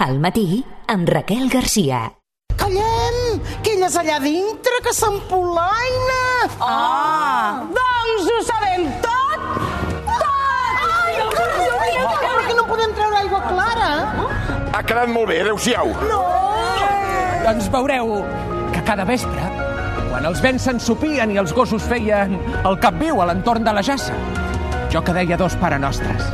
Al matí, amb Raquel Garcia. Callem, que ella és allà dintre, que s'empolaina. Doncs ho sabem tot! Ai, però que no podem treure aigua clara. Ha quedat molt bé, adeu-siau. Doncs veureu que cada vespre, quan els vents s'ensopien i els gossos feien el cap viu a l'entorn de la jassa, jo que deia 2 parenostres.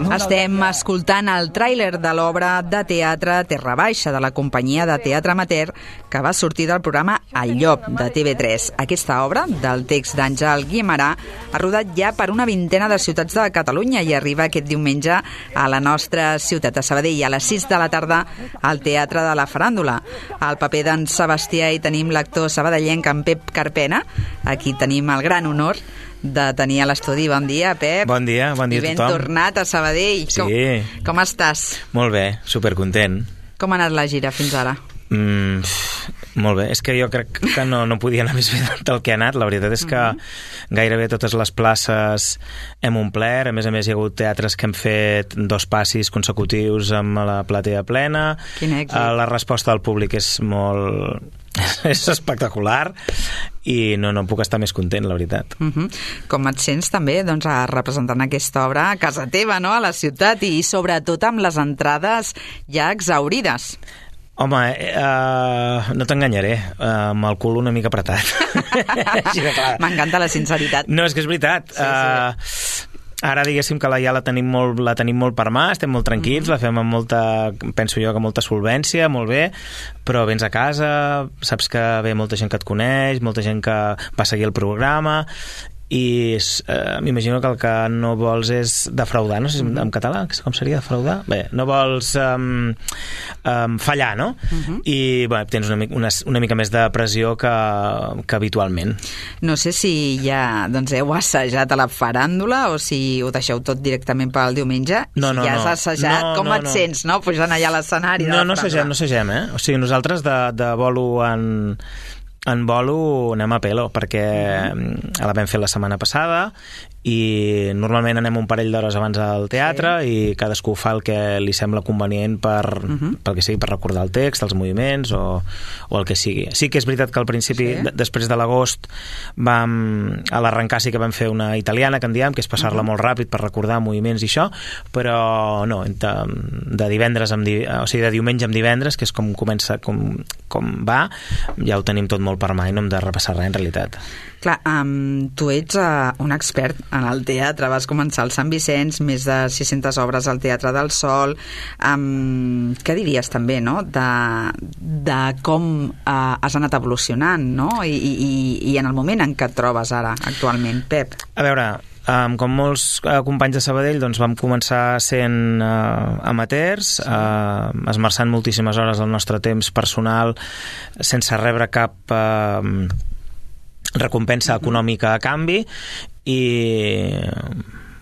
Estem escoltant el tràiler de l'obra de teatre Terra Baixa, de la companyia de teatre amateur que va sortir del programa El Llop, de TV3. Aquesta obra, del text d'Àngel Guimarà, ha rodat ja per una vintena de ciutats de Catalunya i arriba aquest diumenge a la nostra ciutat, a Sabadell, a les 6 de la tarda al Teatre de la Faràndula. Al paper d'en Sebastià hi tenim l'actor sabadellenc en Pep Carpena. Aquí tenim el gran honor de tenir a l'estudi. Bon dia, Pep. Bon dia a tothom. I ben tornat a Sabadell. Sí. Com estàs? Molt bé, supercontent. Com ha anat la gira fins ara? Molt bé, és que jo crec que no podia anar més bé del que ha anat. La veritat és que gairebé totes les places hem omplert. A més, hi ha hagut teatres que hem fet 2 passis consecutius amb la platea plena. Quin èxit. La resposta del públic és és espectacular i no puc estar més content, la veritat. Com et sents també representant aquesta obra a casa teva, no? A la ciutat, i sobretot amb les entrades ja exhaurides? Home, no t'enganyaré, amb el cul una mica apretat. M'encanta la sinceritat. No, és que és veritat. Sí. Ara diguéssim que ja la tenim molt per mà, estem molt tranquils, la fem amb penso jo que molta solvència, molt bé, però vens a casa, saps que ve molta gent que et coneix, molta gent que va seguir el programa, i m'imagino que el que no vols és defraudar, no sé si en català com seria defraudar? Bé, no vols fallar, no? I bé, tens una mica més de pressió que habitualment. No sé si ja heu assajat a la faràndula o si ho deixeu tot directament pel diumenge. No, si ja has assajat, com et sents, no? Pujant allà a l'escenari de la faràndula. No assagem, O sigui, nosaltres de bolo en bolo anem a pelo, perquè la vam fer la setmana passada i normalment anem un parell d'hores abans al teatre i cadascú fa el que li sembla convenient pel que sigui, per recordar el text, els moviments o el que sigui. Sí que és veritat que al principi, després de l'agost, a l'arrencar sí que vam fer una italiana, que en diem, que és passar-la molt ràpid per recordar moviments i això, però no, de diumenge amb divendres, que és com comença, com va, ja ho tenim tot molt per mà i no hem de repassar res en realitat. Clar, tu ets un expert en el teatre, vas començar al Sant Vicenç, més de 600 obres al Teatre del Sol. Què diries també, no?, de com has anat evolucionant, no?, i en el moment en què et trobes ara, actualment, Pep? A veure, com molts companys de Sabadell, doncs vam començar sent amateurs, esmerçant moltíssimes hores del nostre temps personal sense rebre cap recompensa econòmica a canvi, i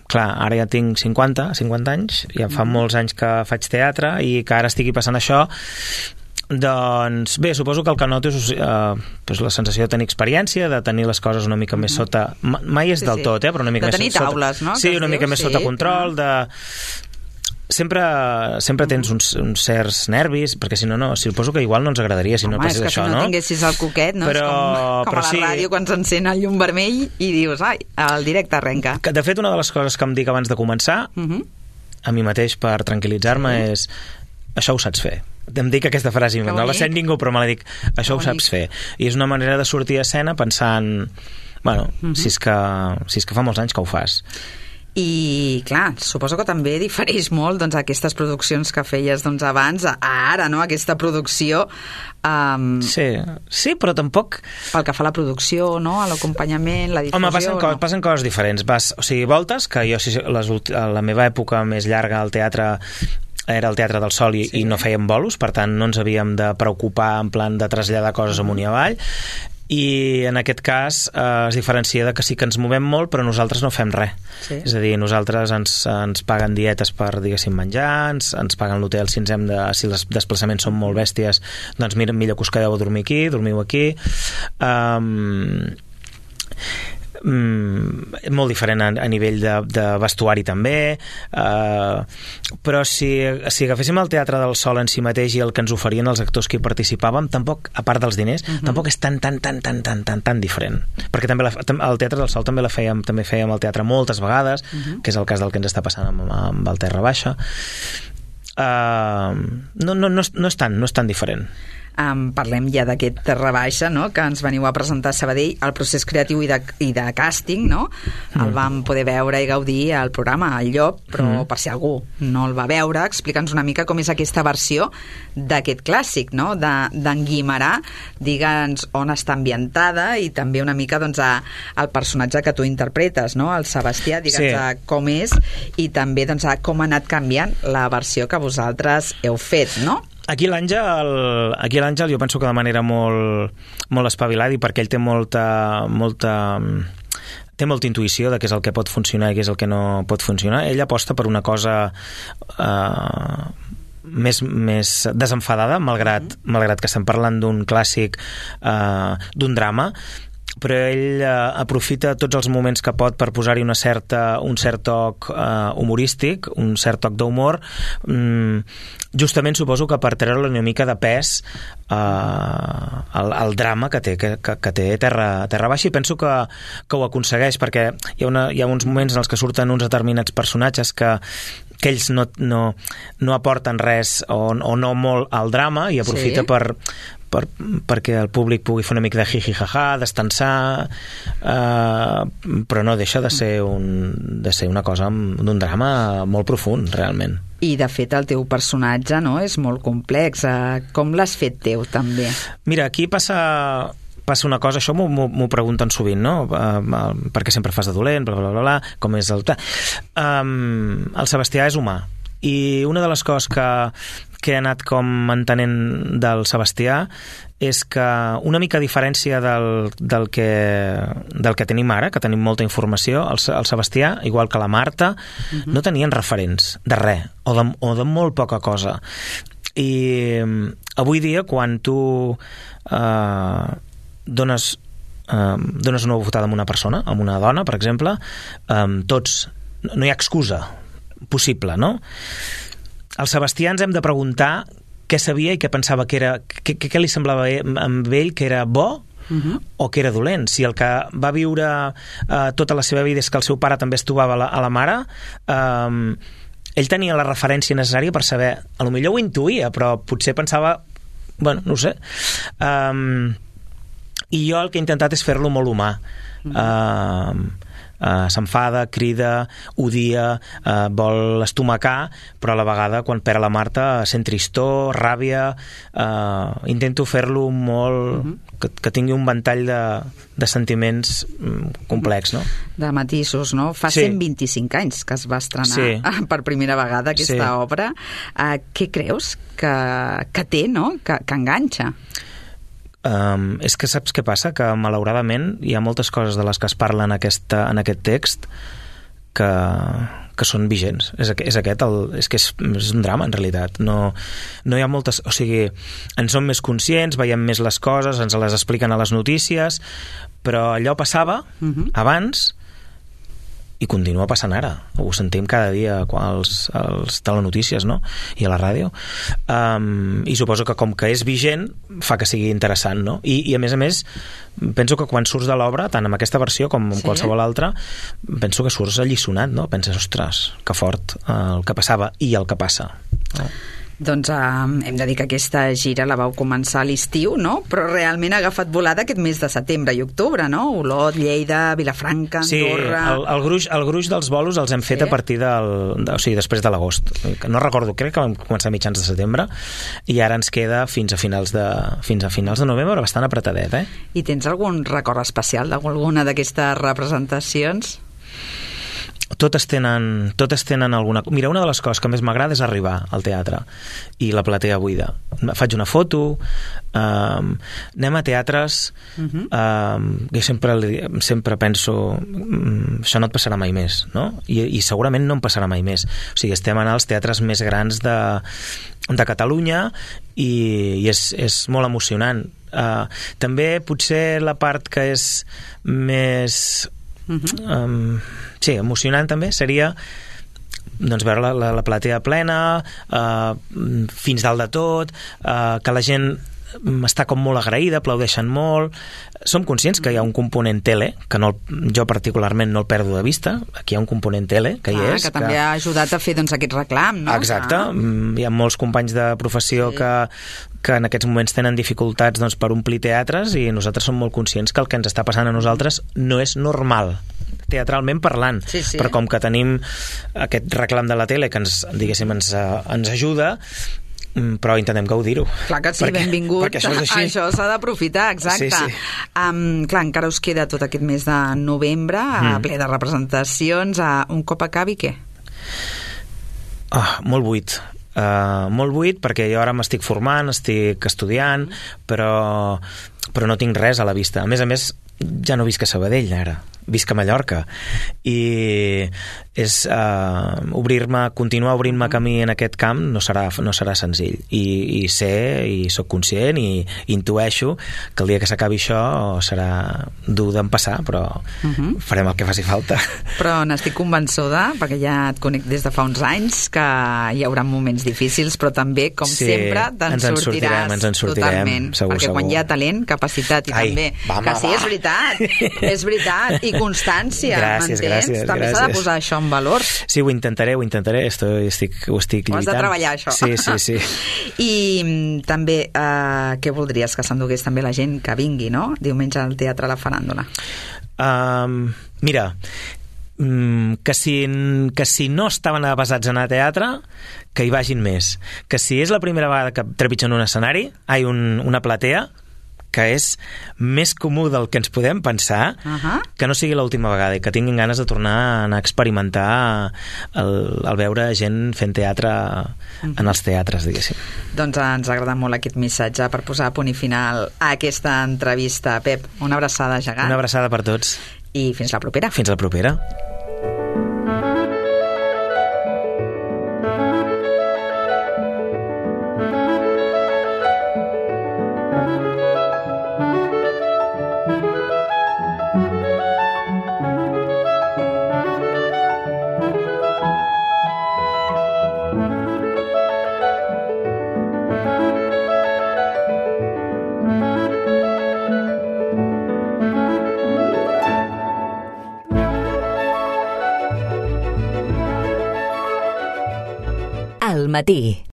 clar, ara ja tinc 50 anys, ja fa molts anys que faig teatre i que ara estigui passant això. Doncs bé, suposo que el que noto és la sensació de tenir experiència, de tenir les coses una mica més sota... Mai és del tot, però una mica més sota... De tenir taules, no? Sí, una mica més sota control, Sempre tens uns certs nervis, perquè si no, suposo que igual no ens agradaria si no passés això, no? És que si no tinguessis el coquet, no? És com a la ràdio quan s'encén el llum vermell i dius, ai, el directe arrenca. De fet, una de les coses que em dic abans de començar, a mi mateix per tranquil·litzar-me, és això ho saps fer. Em dic aquesta frase, no la sent ningú, però me la dic, això ho saps fer. I és una manera de sortir a escena pensant, bueno, si és que fa molts anys que ho fas. I clar, suposo que també difereix molt aquestes produccions que feies abans a ara, no? Aquesta producció sí, però tampoc pel que fa a la producció, no? A l'acompanyament, la difusió. Home, passen coses diferents. Voltes, que jo la meva època més llarga al teatre era el Teatre del Sol i no fèiem bolos, per tant no ens havíem de preocupar en plan de traslladar coses amunt i avall. I en aquest cas es diferencia de que sí que ens movem molt, però nosaltres no fem res. És a dir, nosaltres ens paguen dietes per, diguéssim, menjar, ens paguen l'hotel si els desplaçaments són molt bèsties, doncs millor que us quedeu a dormir aquí, dormiu aquí. molt diferent a nivell de vestuari també, però si agaféssim el Teatre del Sol en si mateix i el que ens oferien els actors que hi participàvem, tampoc, a part dels diners, tampoc és tan diferent, perquè també el Teatre del Sol també fèiem al teatre moltes vegades, que és el cas del que ens està passant amb el Terra Baixa. No és tan diferent. Parlem ja d'aquest Terra Baixa, no?, que ens veniu a presentar a Sabadell. El procés creatiu i de càsting, no?, el vam poder veure i gaudir al programa El Llop, però per si algú no el va veure, explica'ns una mica com és aquesta versió d'aquest clàssic, no?, d'en Guimerà. Digue'ns on està ambientada i també una mica, doncs, el personatge que tu interpretes, no?, el Sebastià, digue'ns com és i també, doncs, com ha anat canviant la versió que vosaltres heu fet, no? Aquí l'Àngel jo penso que de manera molt espavilada, i perquè ell té molta intuïció de què és el que pot funcionar i què és el que no pot funcionar. Ell aposta per una cosa més desenfadada, malgrat que estem parlant d'un clàssic, d'un drama, però ell aprofita tots els moments que pot per posar-hi un cert toc humorístic, un cert toc d'humor, justament suposo que per treure-li una mica de pes al drama que té Terra Baixa, i penso que ho aconsegueix, perquè hi ha uns moments en els que surten uns determinats personatges que ells no aporten res o no molt al drama, i aprofita perquè el públic pugui fer una mica de jiji-jaja, d'estensar, però no deixa de ser una cosa d'un drama molt profund, realment. I, de fet, el teu personatge, no?, és molt complex. Com l'has fet teu, també? Mira, aquí passa una cosa, això m'ho pregunten sovint, no? Perquè sempre fas de dolent, bla, bla, bla, bla, com és el... El Sebastià és humà, i una de les coses que he anat com entenent del Sebastià és que una mica a diferència del que tenim ara, que tenim molta informació, el Sebastià, igual que la Marta, no tenien referents de res, o de molt poca cosa. I avui dia, quan tu dones una votada a una persona, a una dona, per exemple, no hi ha excusa possible, no? El Sebastià ens hem de preguntar què sabia i què pensava que era, què li semblava amb ell que era bo o que era dolent. Si el que va viure tota la seva vida és que el seu pare també es trobava a la mare, ell tenia la referència necessària per saber, a lo millor ho intuïa, però potser pensava, bueno, no ho sé. I jo el que he intentat és fer-lo molt humà. S'enfada, crida, odia, vol estomacar, però a la vegada quan perd la Marta sent tristor, ràbia. Intento fer-lo molt... que tingui un ventall de sentiments complex, no? De matisos, no? Fa 125 anys que es va estrenar per primera vegada aquesta obra. Què creus que té, no?, que enganxa? És que saps què passa? Que malauradament hi ha moltes coses de les que es parla en aquest text que són vigents. És un drama, en realitat. No hi ha moltes... O sigui, en som més conscients, veiem més les coses, ens les expliquen a les notícies, però allò passava abans i continua passant ara. Ho sentim cada dia als telenotícies, no?, i a la ràdio. I suposo que com que és vigent fa que sigui interessant, no? I a més penso que quan surts de l'obra, tant amb aquesta versió com amb qualsevol altra, penso que surts alliçonat, no? Penses, ostres, que fort el que passava i el que passa. Doncs hem de dir que aquesta gira la vau començar a l'estiu, no? Però realment ha agafat volada aquest mes de setembre i octubre, no? Olot, Lleida, Vilafranca, Andorra... Sí, el gruix dels bolos els hem fet a partir o sigui, després de l'agost. No recordo, crec que vam començar a mitjans de setembre i ara ens queda fins a finals de novembre, bastant apretadet, I tens algun record especial d'alguna d'aquestes representacions? Totes tenen alguna... Mira, una de les coses que més m'agrada és arribar al teatre i la platea buida. Faig una foto, anem a teatres, jo sempre penso això no et passarà mai més, no? I segurament no em passarà mai més. O sigui, estem en els teatres més grans de Catalunya i és molt emocionant. També potser la part que és més sí, emocionant també seria doncs veure la platea plena, fins dalt de tot, que la gent està com molt agraïda, aplaudeixen molt. Som conscients que hi ha un component tele, que jo particularment no el perdo de vista. Aquí hi ha un component tele, que hi és. Que també ha ajudat a fer aquest reclam, no? Exacte. Hi ha molts companys de professió que en aquests moments tenen dificultats per omplir teatres, i nosaltres som molt conscients que el que ens està passant a nosaltres no és normal, teatralment parlant. Sí. Però com que tenim aquest reclam de la tele que ens ajuda, però intentem gaudir-ho. Clar que sí, benvingut. Perquè això s'ha d'aprofitar, exacte. Sí. Clar, encara us queda tot aquest mes de novembre, ple de representacions. Un cop acabi, què? Molt buit. Molt buit, perquè jo ara m'estic formant, estic estudiant, però no tinc res a la vista. A més, ja no visc a Sabadell ara, visc a Mallorca, i és continuar obrint-me camí en aquest camp no serà senzill, i sé, i sóc conscient, i intueixo que el dia que s'acabi això serà dur d'empassar, però farem el que faci falta. Però n'estic convençuda, perquè ja et conec des de fa uns anys, que hi haurà moments difícils, però també, com sempre, te'n sortiràs totalment, perquè quan hi ha talent, capacitat i també, que sí, és veritat, i constància, m'entens? També s'ha de posar això en valor. Sí, ho intentaré, ho estic lluitant. Ho has de treballar, això. Sí. I també, què voldries que s'endugués també la gent que vingui, no? Diumenge al Teatre La Faràndula. Mira, que si no estaven avesats a anar a teatre, que hi vagin més. Que si és la primera vegada que trepitgen un escenari, una platea, que és més comú del que ens podem pensar, que no sigui l'última vegada, i que tinguin ganes de tornar a anar a experimentar el veure gent fent teatre en els teatres, diguéssim. Doncs ens ha agradat molt aquest missatge per posar punt i final a aquesta entrevista. Pep, una abraçada gegant. Una abraçada per tots. I fins la propera. Fins la propera. Al matí.